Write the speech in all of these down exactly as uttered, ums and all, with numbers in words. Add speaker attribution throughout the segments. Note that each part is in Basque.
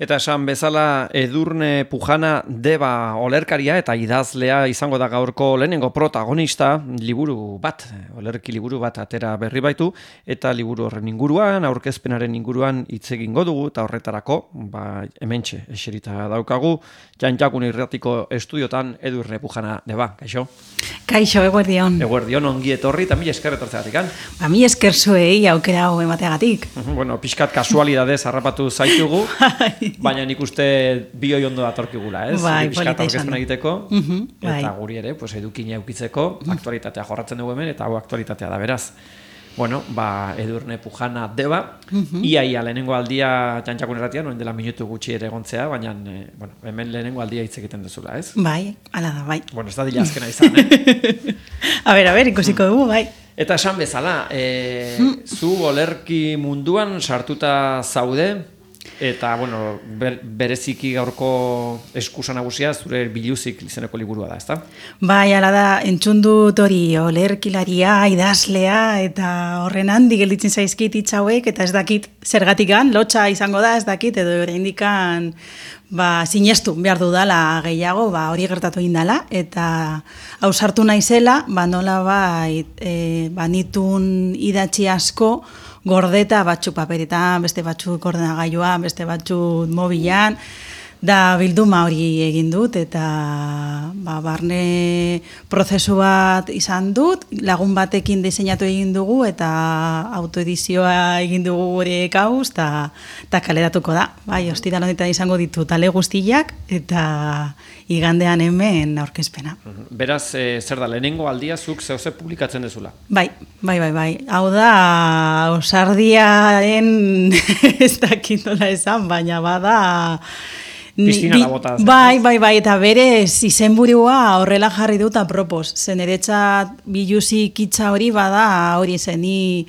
Speaker 1: Eta esan bezala Edurne Pujana Deba olerkaria eta idazlea izango da gaurko lehenengo protagonista, liburu bat, olerki liburu bat atera berri baitu, eta liburu horren inguruan, aurkezpenaren inguruan hitz egingo dugu, eta horretarako, ba, hementxe, eserita daukagu, Jantjakun Irratiko estudiotan Edurne Pujana Deba, kaixo?
Speaker 2: Kaixo, eguerdion.
Speaker 1: Eguerdion, ongi etorri, eta mila esker etortzeagatik, kan?
Speaker 2: Ba, mila esker zuei aukera hau emateagatik.
Speaker 1: Bueno, pixkat kasualidadez harrapatu zaitugu, baina nik uste bioi ondo datorkigula, ez?
Speaker 2: Bai,
Speaker 1: pixkat
Speaker 2: polita izan.
Speaker 1: aurkezpen egiteko,
Speaker 2: Mhm,
Speaker 1: eta
Speaker 2: bai.
Speaker 1: guri ere, pues, edukina eukitzeko, aktualitatea jorratzen dugu hemen, eta hau aktualitatea da, beraz. Bueno, ba, Edurne Pujana Deba, iaia lehenengo aldia Jantjakun Irratian, orain dela minutu gutxi ere egontzea, baina eh, bueno, hemen lehenengo aldia hitz egiten duzula, ez?
Speaker 2: Bai, ala da, bai.
Speaker 1: Bueno, ez da dila azkena izan, eh?
Speaker 2: A ber, a ber, ikusiko dugu, bai.
Speaker 1: Eta esan bezala, e, zu olerki munduan sartuta zaude, eta, bueno, ber, bereziki gaurko eskusa nagusia zure Biluzik izeneko liburua da, ezta?
Speaker 2: Bai, ala da, entzun dut hori olerkilaria, idazlea, eta horren handi gelditzen zaizkit hitz hauek, eta ez dakit zergatikan, lotxa izango da, ez dakit, edo oraindikan ba, sinestu behar dudala gehiago, ba, hori gertatu indala, eta ausartu naizela, ba, nola bai, e, ba, nitun idatzi asko, gordeta batzuk paperetan, beste batzuk ordenagailuan, beste batzuk mobilan, da bilduma hori egin dut, eta ba, barne prozesu bat izan dut, lagun batekin diseinatu egin dugu, eta autoedizioa egin dugu gure kauz, eta kaleratuko da. Bai, ostiral honetan izango ditut ale guztiak, eta igandean hemen aurkezpena.
Speaker 1: Beraz, e, zer da, lehenengo aldia zuk zehose publikatzen dezula?
Speaker 2: Bai, bai, bai, bai. Hau da, osardiaren ez dakit nola esan, baina bada...
Speaker 1: Piztinara bota.
Speaker 2: Bai, bai, bai, eta berez izenburua horrela jarri dut apropos. Zen eretzat Biluzik hitza hori bada hori zen, ni,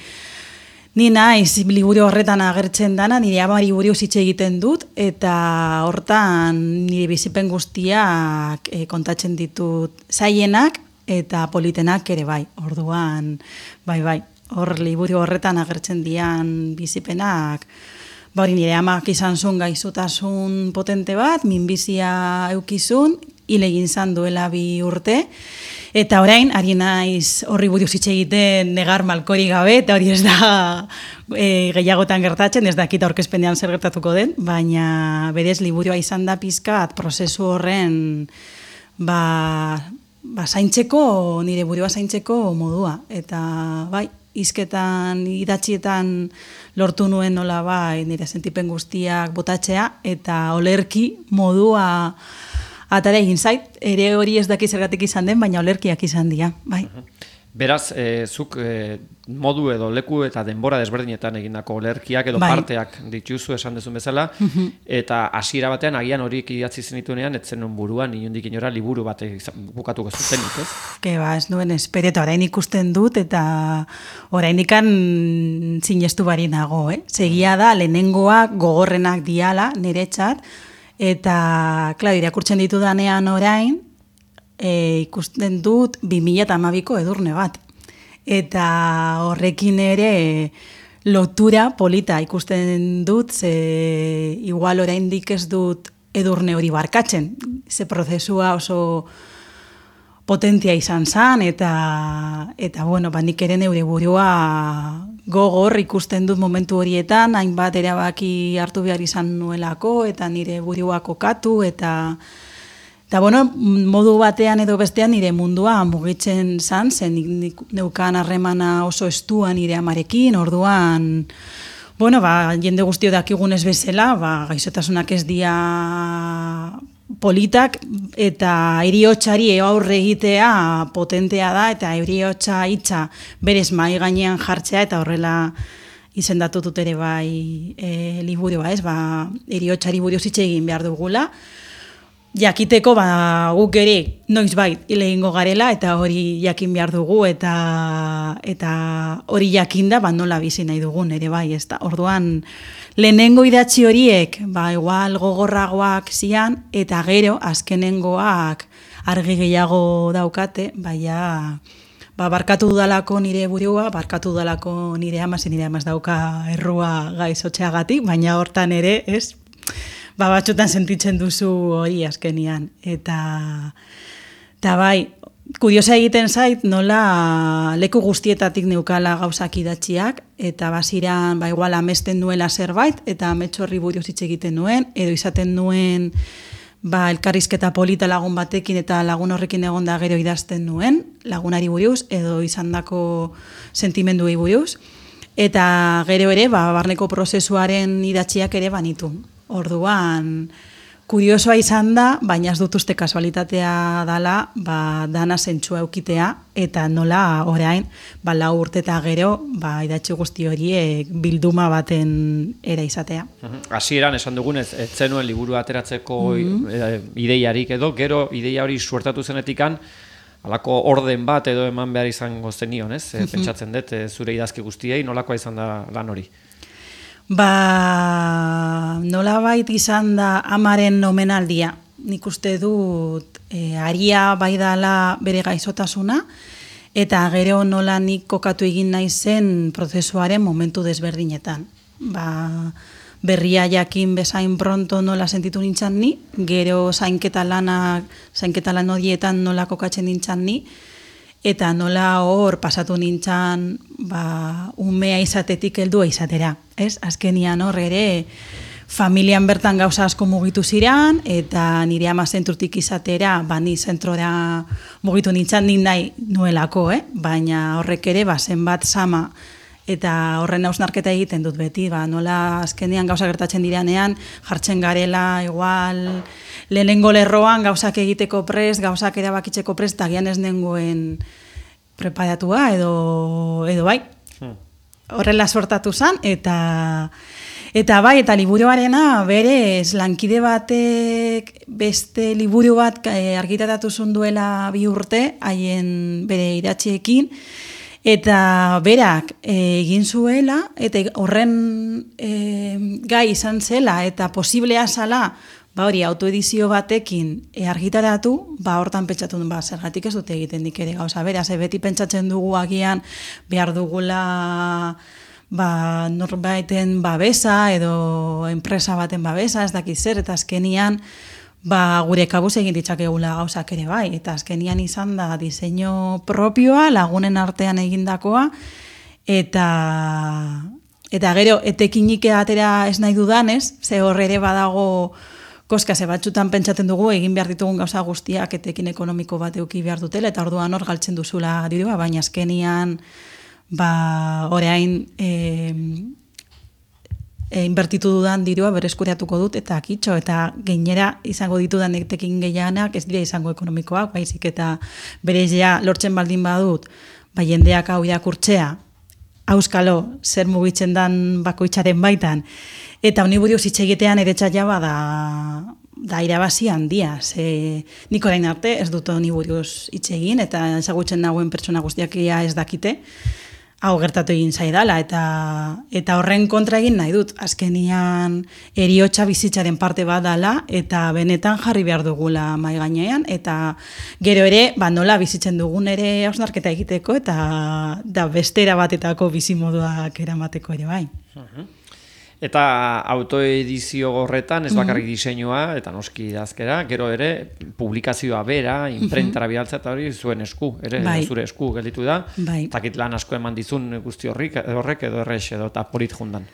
Speaker 2: ni naiz liburu horretan agertzen dana, nire amari buruz hitz egiten dut, eta hortan nire bizipen guztiak e, kontatzen ditut zaienak eta politenak ere bai. Orduan, bai, bai, hor liburu horretan agertzen dian bizipenak, ba hori nire amak izan zuen gaixotasun potente bat, minbizia eukizun, hil egin zan duela bi urte, eta orain, ari naiz horri buruz hitz egiten negar malkori gabe, eta hori ez da e, gehiagotan gertatzen, ez dakit aurkezpenean zer gertatuko den, baina berez liburua izan da pizkat prozesu horren ba, ba zaintzeko, nire burua zaintzeko modua, eta bai, hizketan, idatzietan lortu nuen nola bai nire sentipen guztiak botatzea, eta olerki modua atara egin zait, ere hori ez daki zergatik izan den, baina olerkiak izan dira, bai.
Speaker 1: Beraz, e, zuk e, modu edo leku eta denbora desberdinetan egindako olerkiak edo
Speaker 2: bai.
Speaker 1: parteak dituzu esan dezun bezala, eta hasiera batean agian horiek idatzi zenituenean, etzen nun buruan, inondik inora liburu bat bukatuko zutenik, ez?
Speaker 2: Ke ba, ez nuen esperieta, orain ikusten dut, eta oraindikan sinestu bari nago, eh? Segia da, lehenengoak gogorrenak diala, niretzat, eta, klar, irakurtzen ditudanean orain, E, ikusten dut bi mila hamabiko Edurne bat. Eta horrekin ere lotura polita ikusten dut, ze igual oraindik ez dut Edurne hori barkatzen. Ze prozesua oso potentia izan zan, eta, eta bueno, ba, nik ere neure burua gogor ikusten dut momentu horietan, hainbat erabaki hartu behar izan nuelako, eta nire burua kokatu, eta... Eta, bueno, modu batean edo bestean nire mundua mugitzen zan, zen nik neukan harremana oso estua nire amarekin, orduan, bueno, ba, jende guztio dakigunez bezala, ba, gaixotasunak ez dia politak, eta heriotzari aurre egitea potentea da, eta heriotza hitza berez mai gainean jartzea, eta horrela izendatu dut ere bai e, liburua, ez, ba, heriotzari buruz hitz egin behar dugula, jakiteko ba, guk ere noiz bait hil egingo garela, eta hori jakin behar dugu, eta eta hori jakinda ba, nola bizi nahi dugun ere bai, ezta. Orduan lehenengo idatzi horiek ba, igual gogorragoak zian, eta gero azkenengoak argi gehiago daukate, baina ba, barkatu dudalako nire burua, barkatu dudalako nire ama, nire ama ez dauka errua gaizotxeagatik, baina hortan ere, ez? ba, batxotan sentitzen duzu hori azkenian. Eta, eta bai, kuriosa egiten zait, nola leku guztietatik neukala gauzak idatziak, eta baziran, ba, igual amesten nuela zerbait, eta ametxorri buruz hitz egiten nuen, edo izaten nuen, ba, elkarrizketa polita lagun batekin eta lagun horrekin egonda gero idazten nuen, lagunari buruz, edo izandako sentimenduei buruz, eta gero ere, ba, barneko prozesuaren idatziak ere banitu. Orduan, kuriosoa izan da, baina ez dut uste kasualitatea dala, ba, dana zentsua eukitea, eta nola orain, ba, lau urte eta gero, ba, idatzi guzti horiek bilduma baten era izatea.
Speaker 1: Hasieran esan dugunez, ez zenuen liburu ateratzeko mm-hmm. ideiarik edo, gero ideia hori suertatu zenetikan, halako orden bat edo eman behar izango zenion, ez? Mm-hmm. Pentsatzen dut, zure idazki guztiei, nolakoa izan da lan hori?
Speaker 2: Ba, nolabait izan da amaren omenaldia. Nik uste dut e, aria bai dala bere gaizotasuna, eta gero nola nik kokatu egin naizen prozesuaren momentu desberdinetan. Ba, berria jakin bezain pronto nola sentitu nintzan ni, gero zainketa lanak, zainketa lan horietan nola kokatzen nintzan ni, eta nola hor pasatu nintzan ba, umea izatetik heldua izatera. Ez? Azkenian hor ere familian bertan gauza asko mugitu ziran, eta nire ama zentrutik izatera, ba, ni zentrora mugitu nintzan nin nahi nuelako, eh? Baina horrek ere ba, zenbat sama eta horren hausnarketa egiten dut beti, ba, nola azkenean gauza gertatzen diranean, jartzen garela, igual, lehenengo lerroan gauzak egiteko prest, gauzak erabakitzeko prest, eta gian ez nengoen preparatua edo, edo bai. Hmm. Horrela sortatu zen, eta, eta bai, eta liburuarena berez lankide batek beste liburu bat argitaratu duela bi urte, haien bere idatziekin, eta berak egin zuela, eta horren e, gai izan zela, eta posiblea zala, ba hori, autoedizio batekin e, argitaratu, ba hortan pentsatu duen, ba, zergatik ez dute egiten dik ere gauza. Beraz, e, beti pentsatzen dugu agian behar dugula ba, norbaiten babesa edo enpresa baten babesa, ez dakit zer, eta azkenian ba, gure kabuz egin ditzakegula gauzak ere bai, eta azkenian izan da diseinu propioa, lagunen artean egindakoa, eta eta gero, etekinik atera ez nahi dudanez, ze hor ere badago koska, ze batzutan pentsatzen dugu, egin behar ditugun gauza guztiak etekin ekonomiko bat euki behar dutela, eta orduan hor galtzen duzula dirua, baina azkenian, ba, orain, e, e, inbertitu dudan dirua bereskuriatuko dut, eta kitxo, eta gainera izango ditudan etekin gehianak, ez dira izango ekonomikoak, baizik, eta berezia lortzen baldin badut, ba, jendeak hau irakurtzea, auskalo, zer mugitzen dan bakoitzaren baitan, eta honi buruz hitz egitean ere txaila bada da irabazi handia. Ze nik orain arte ez dut honi buruz hitz egin, eta ezagutzen nagoen pertsona guztiak ez dakite, hau gertatu egin zaidala, eta, eta horren kontra egin nahi dut. Azkenian heriotza bizitzaren parte bat dala, eta benetan jarri behar dugula mahai gainean, eta gero ere, ba, nola bizitzen dugun ere hausnarketa egiteko, eta da bestera batetako bizimoduak eramateko ere bai.
Speaker 1: Uh-huh. Eta autoedizio horretan, ez bakarrik diseinua, eta noski idazkera, gero ere, publikazioa bera, imprentara bidaltzea, eta hori zuen esku, ere, bai. Zure esku gelditu da,
Speaker 2: bai.
Speaker 1: Takit lan asko eman dizun guzti horrik, horrek edo errex edo, eta polit jundan.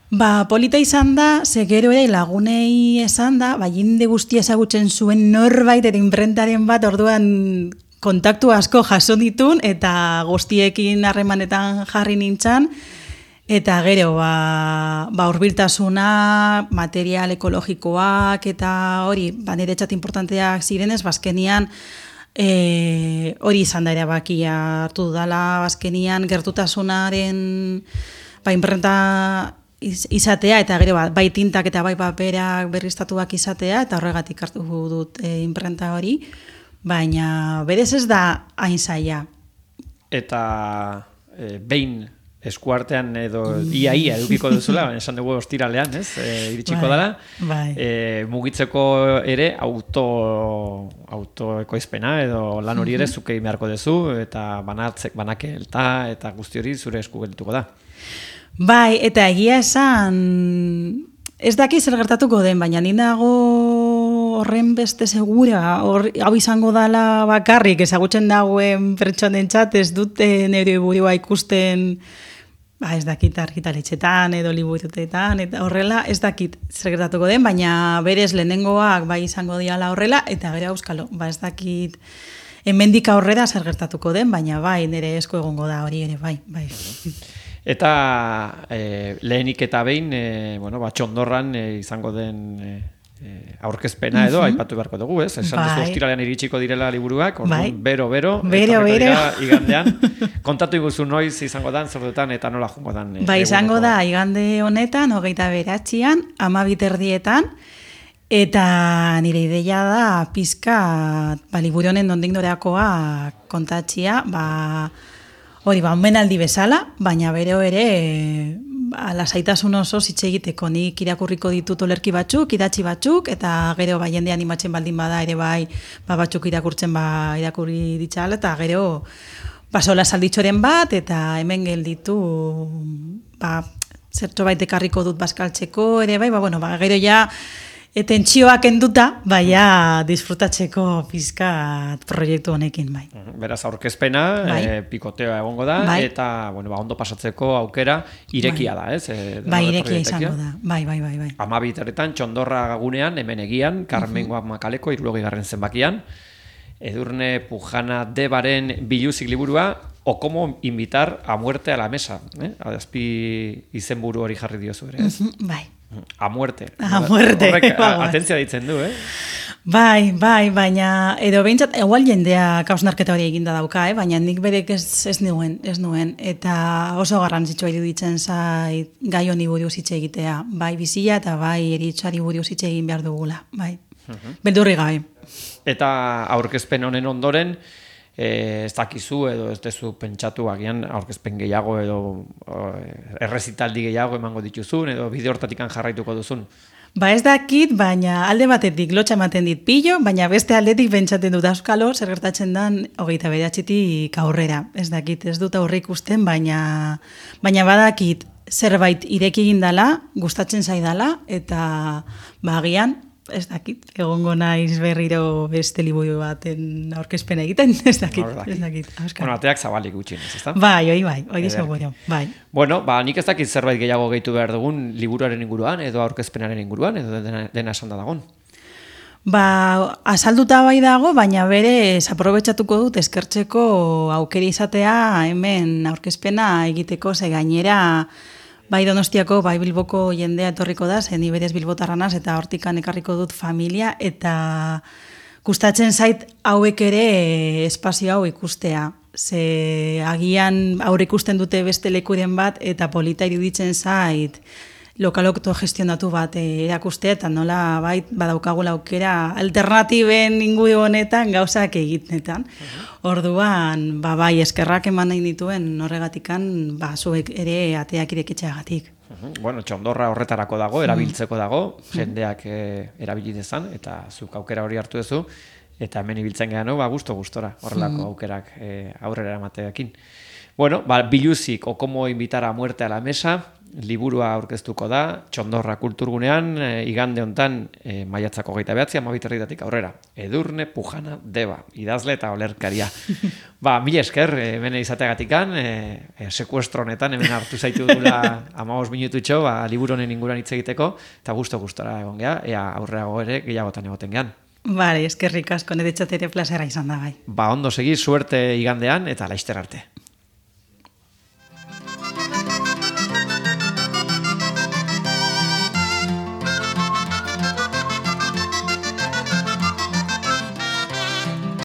Speaker 2: Ba, polita izan da, ze gero ere lagunei esan da, ba, jende guztia ezagutzen zuen norbait, eta imprentaren bat, orduan kontaktu asko jaso ditun, eta guztiekin harremanetan jarri nintzan, eta gero, ba, ba urbiltasuna, material ekologikoak, eta hori, ba, niretzat importanteak zirenez, bazkenian, e, hori izan da erabakia hartu dudala, bazkenian gertutasunaren, ba, imprenta izatea, eta gero, ba, bai tintak eta bai paperak berriztatuak izatea, eta horregatik hartu dut e, imprenta hori, baina berez ez da hain zaila.
Speaker 1: Eta e, behin eskuartean edo ia-ia edukiko duzula, esan dugu ostiralean, ez? E, iritsiko dela.
Speaker 2: Bai.
Speaker 1: E, mugitzeko ere auto autoekoizpena edo lan hori ere zuke beharko duzu, eta banatzek, banakelta eta guzti hori zure esku geldituko da.
Speaker 2: Bai, eta egia esan ez daki zer gertatuko den, baina ni nago horren beste segura, hor, hau izango dala bakarrik, ezagutzen dagoen pertsonentzat ez dute nire burua ikusten, ba ez dakit argitaletxetan edo liburutetan, eta horrela ez dakit zer gertatuko den, baina berez lehenengoak bai izango diala horrela, eta gero auskalo, ba ez dakit hemendik aurrera zer gertatuko den, baina bai nire esko egongo da hori ere, bai, bai.
Speaker 1: Eta e, lehenik eta behin, e, bueno, ba, txondorran e, izango den e, e, aurkezpena edo, uh-huh. aipatu beharko dugu, ez? Esan bai. Duzu ostiralean iritsiko direla liburuak, orduan, bai. bero, bero,
Speaker 2: bero, bero.
Speaker 1: Igandean. Kontatu iguzu noiz izango dan, zerdutan, eta nola jungo dan. E,
Speaker 2: ba, izango da, igande honetan, hogeita beratxian, amabit erdietan, eta nire ideia da, pizka, ba, liburu honen nondik noreakoa kontatxia, ba, hori, ba, omenaldi bezala, baina bero ere, ba, lasaitasun oso hitz egiteko, nik irakurriko ditut olerki batzuk, idatzi batzuk, eta gero ba, jende animatzen baldin bada ere bai, ba, batzuk irakurtzen ba, irakurri ditzala, eta gero, ba, sola salditxoren bat, eta hemen gelditu, ba, zertxo bait ekarriko dut bazkaltzeko, ere bai, ba, bueno, ba, gero ja, tentsioak enduta, baina disfrutatzeko pizkat proiektu honekin, bai.
Speaker 1: Beraz, aurkezpena, bai. e, pikotea egongo da, bai. Eta bueno, ba, ondo pasatzeko aukera irekia bai. Da, ez? E,
Speaker 2: bai, irekia izango da, bai, bai, bai. bai.
Speaker 1: Amabiteretan, txondorra gunean, hemen egian, Carmen uh-huh. Makaleko, irurogei garren zenbakian, Edurne Pujana Debaren biluzik liburua, o como invitar a muerte a la mesa. Eh? Azpi izenburu hori jarri diozu ere, ez?
Speaker 2: Uh-huh. Bai.
Speaker 1: A muerte.
Speaker 2: A muerte.
Speaker 1: Horrek atentzia ditzen du, eh?
Speaker 2: Bai, bai, baina edo behintzat, egual jendea kausnarketa hori eginda dauka, eh? Baina nik berek ez, ez nuen, ez nuen. Eta oso garrantzitsua iruditzen zait gai honi buruz hitz egitea. Bai bizia eta bai eritzari buruz hitz egin behar dugula. Bai, uh-huh. Beldurri gabe.
Speaker 1: Eta aurkezpen honen ondoren, E, ez dakizu edo ez dezu pentsatu agian aurkezpen gehiago edo errezitaldi gehiago emango dituzun edo bide hortatikan jarraituko duzun?
Speaker 2: Ba ez dakit, baina alde batetik lotxa ematen dit pillo, baina beste aldetik pentsatzen dut auskalo, zer gertatzen dan hogeita bederatzitik aurrera. Ez dakit, ez dut aurre ikusten, baina, baina badakit zerbait ireki egin dala, gustatzen zaidala, eta bagian, ez dakit, egongo naiz berriro beste liburu baten aurkezpena egiten, ez dakit, ez dakit.
Speaker 1: Bueno, ateak zabalik gutxinez, ezta?
Speaker 2: Bai, oi, bai, hori seguro, bai.
Speaker 1: Bueno, ba, nik ez dakit zerbait gehiago gehitu behar dugun liburuaren inguruan, edo aurkezpenaren inguruan, edo dena, dena esan da dagon.
Speaker 2: Ba, azalduta bai dago, baina berez aprobetxatuko dut eskertzeko aukeri izatea hemen aurkezpena egiteko, ze gainera bai Donostiako, bai Bilboko jendea etorriko da, zen iberez bilbotarranaz, eta hortikan ekarriko dut familia, eta gustatzen zait hauek ere espazio hau ikustea. Ze agian aurre ikusten dute beste lekuren bat, eta polita iruditzen zait lokalokto gestionatu bat erakustea, eta nola bai badaukagula aukera alternatiben inguru honetan gauzak egitetan. Uh-huh. Orduan, ba bai eskerrak eman nahi dituen horregatikan, ba zuek ere ateak irekitzeagatik.
Speaker 1: Uh-huh. Bueno, txondorra horretarako dago, erabiltzeko dago, jendeak eh, erabili dezan, eta zuk aukera hori hartu duzu, eta hemen ibiltzen gehan, ba gusto-gustora horrelako aukerak eh, aurrera emateakin. Bueno, ba, biluzik, o como invitar a muerte a la mesa, liburua aurkeztuko da, Txondorra kulturgunean, e, igande hontan, e, maiatzako geita behatzi, amabiterritatik aurrera. Edurne Pujana Deba, idazle eta olerkaria. Ba, mila esker, hemen izateagatikan, e, e, sekuestro honetan, hemen hartu zaitu dula amabos minututxo, ba, liburonen inguruan hitz egiteko, eta gusto-gustora egon geha, ea aurreago ere gehiagotan egoten gehan.
Speaker 2: Bale, eskerrik asko, niretzat ere plazera izan da bai.
Speaker 1: Ba, ondo segi, suerte igandean, eta laizter arte.